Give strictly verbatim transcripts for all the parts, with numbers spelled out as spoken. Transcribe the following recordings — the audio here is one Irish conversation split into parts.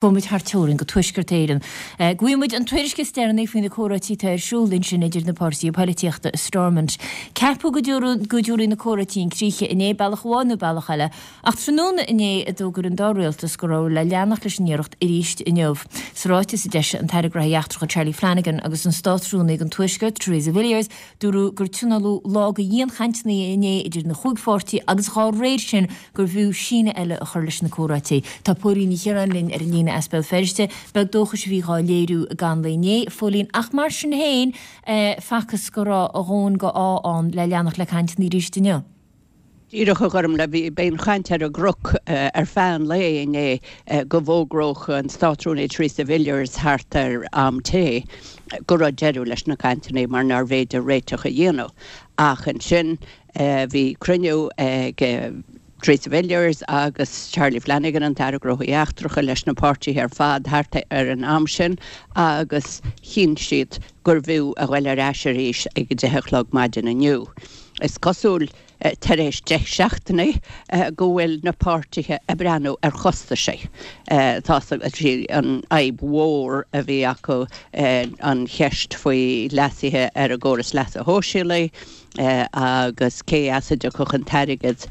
Gabhfaidh muid thar teorainn go Tuaisceart Éireann. Go bhfaighidh muid an tuairisc is deireanaí faoi na comhráití atá ar siúl ansin idir na páirtithe polaitíochta i Stormont. Ceapadh go dtabharfaidh na comhráití chun críche inné, bealach amháin nó bealach eile, ach tráthnóna inné a d'fhógair an dá rialtas go raibh le leanacht leis an iarracht arís inniu. Sa ráiteas a d'eisigh an tAire Gnóthaí Eachtracha Charlie Flanagan agus an Státrúnaí don Tuaisceart, Theresa Villiers, dúradh gur tionóladh lá de dhianchainteanna inné idir na chúig pháirtí agus dá réir sin gurbh fhiú síneadh eile a chur leis na comhráití. Tá Póilín Ní Chiaráin linn ar an líne as Béal Feirste. Beag dóchais a bhí dhá léiriú i gcaitheamh an lae inné, a Phóilín, ach mar sin féin facthas go raibh a dhóthain de ádh ann le leanacht le cainteanna arís inniu. Díreach, a Ghormfhlaith, bhí bhí an chaint ar an gcnoc ar feadh an lae inné go bhfógródh an Státrúnaí Theresa Villiers thart ar am tae go raibh deireadh leis na cainteanna mar nárbh fhéidir réiteach a dhéanamh. Ach ansin bhí cruinniú ag Theresa Villiers agus Charlie Flanagan, an tAire Gnóthaí Eachtracha, leis na páirtithe ar fad thart ar an am sin agus chinn siad gurbh fhiú a ghoil ar ais arís ag a deich a chlog maidin inniu. Is cosúil tar éis deich seachtainí go bhfuil na páirtithe ag breathnú ar chostaisí. Tá sí an fhadhb mhór a bhí acu an cheist faoi leasuithe ar an gcóras leasa shóisialaigh agus cé as a dtiocfadh an t-airgead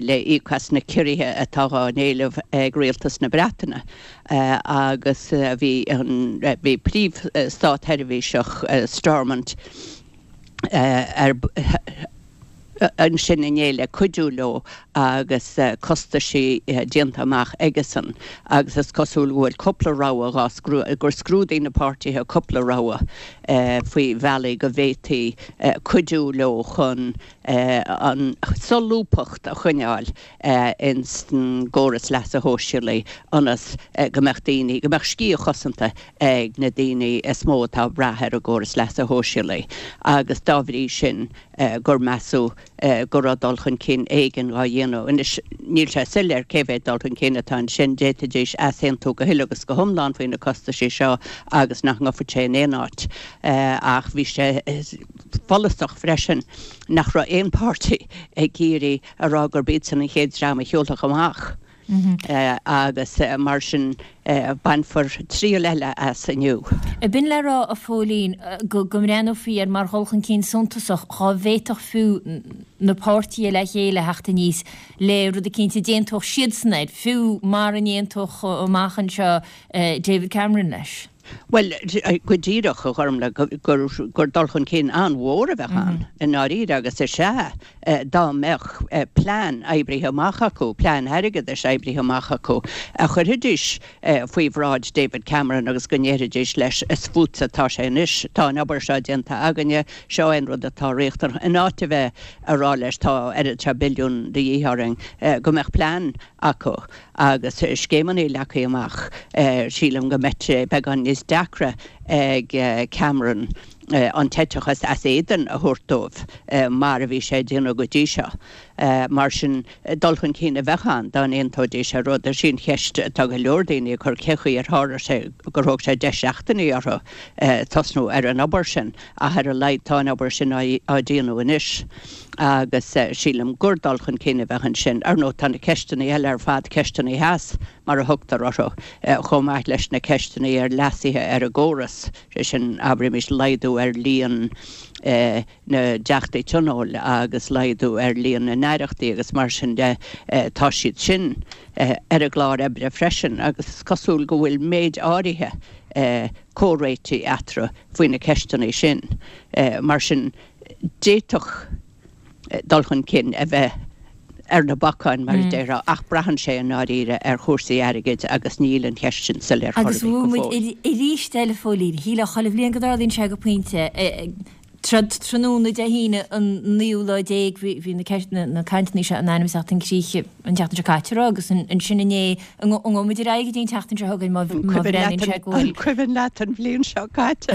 le íoc as na ciorruithe atá á n-éileamh ag rialtas na Breataine agus bhí an bhí príomh-státsheirbhíseach Stormont ar ansin inné le cuidiú leo agus costaisí déanta amach aigesan agus is cosúil go bhfuil cúpla rogha dhá gur scrúdaigh na páirtithe cúpla rogha faoi bhealaí go bhféadfaí cuidiú leo chun an solúbthacht a choinneáil ins an gcóras leasa shóisialaigh ionas go mbeadh daoine go mbeadh sciath chosanta ag na daoine is mó atá ag brath ar an gcóras leasa shóisialaigh agus dá bhrí sin gur measadh go raibh dul chun cinn éigin á dhéanamh. Anois níl sé soiléir cé mhéad dul chun cinn atá ansin, d'fhéadfaidís easaontú go huile agus go hiomlán faoi na costaisí seo agus nach ngabhfadh sé in aon áit. Ach bhí sé follasach freisin nach raibh aon pháirtí ag iarraidh a rá gurb iadsan an chéad dream a shiúlfadh amach. Agus mar sin bainfear triail eile as inniu. B'in le rá, a Phóilín, go mbreathnófaí air mar dhul chun cinn suntasach dhá bhféadfadh fiú na páirtithe le chéile theacht aníos le rud eicínt a d'aontódh siadsan air, fiú mara n-aontódh amach anseo David Cameron leis. Bhuel, go díreach, a Ghormfhlaith, gur gur dul chun cinn an-mhór a bheadh ann i ndáiríre agus is ea dá mbeadh plean oibrithe amach acu, plean airgeadais oibrithe amach acu, a chuirfidís faoi bhráid David Cameron agus go ndéarfaidís leis, is fútsa atá sé anois, tá an obair seo déanta againne, seo é an rud atá riachtanach, in áit a bheith a rá leis tá oiread seo billiún de dhíth orainn, go mbeadh plean acu. Agus scéimeanna leagtha amach, sílim go mbeidh sé beagán níos deacra ag Cameron an t-eiteachas as éadan a thabhairt dóibh mar a bhí sé ag déanamh go dtí seo. Mar sin, dul chun cinn a bheadh ann dá n-aontóidís ar rud. Is í an cheist atá go leor daoine ag cur cé chaoi ar tharla sé gur thóg sé deich seachtainí orthu tosnú ar an obair sin ach ar a laghad tá an obair sin á déanamh anois. Agus sílim gur dul chun cinn a bheadh ansin. Ar ndóigh, tá na ceisteanna eile ar fad, ceisteanna theas mar a thugtar orthu, chomh maith leis na ceisteanna ar leasuithe ar an gcóras, sé sin, abraimis, laghdú ar líon na dTeachtaí Tionóil agus laghdú ar líon na n-aireachtaí agus mar sin de, tá siad sin ar an gclár oibre freisin agus is cosúil go bhfuil méid áirithe comhréitigh eatarthu faoi na ceisteanna sin. Mar sin, d'fhéadfadh dul chun cinn a bheith ar na bacáin, mar a déarfá, ach braitheann sé i ndáiríre ar chúrsaí airgid agus níl an cheist sin soiléir chor ar Agus bith go bhuail muid fóill. arís eile, a Phóilín, shílfeá chuile bhliain go dtarlaíonn sé go pointe, Tráthnóna Dé hAoine an naoú lá déag bhí na na cainteanna seo in ainm is a theacht chun críche an tseachtain seo caite raibh agus ansin inné an ngabhfaidh muid ar aghaidh go dtí an tseachtain seo chugainn má An cuimhin bhreathnaíonn leat sé go bhfuil an cuimhin leat an bhliain seo caite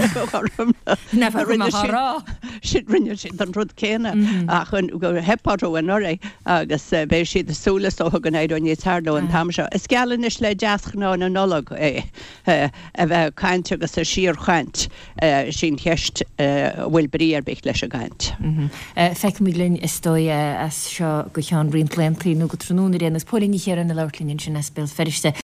Nach bhfuil mé á rá. Siad rinne siad an rud céanna ach gur theip orthu anuraidh agus beidh siad ag súil is dócha go n-éireoidh níos fearr leo an t-am seo. Is geall anois le deasghnáth na Nollag é a bheith ag caint agus ag síorchaint. Is í an cheist an bhfuil brí ar bith leis an gcaint. Feicfimid linn is dóigh as seo go ceann roinnt laethanta nó go tráthnóna ar aon nós. Póilín Ní Chiaráin ag labhairt linn ansin as Béal Feirste.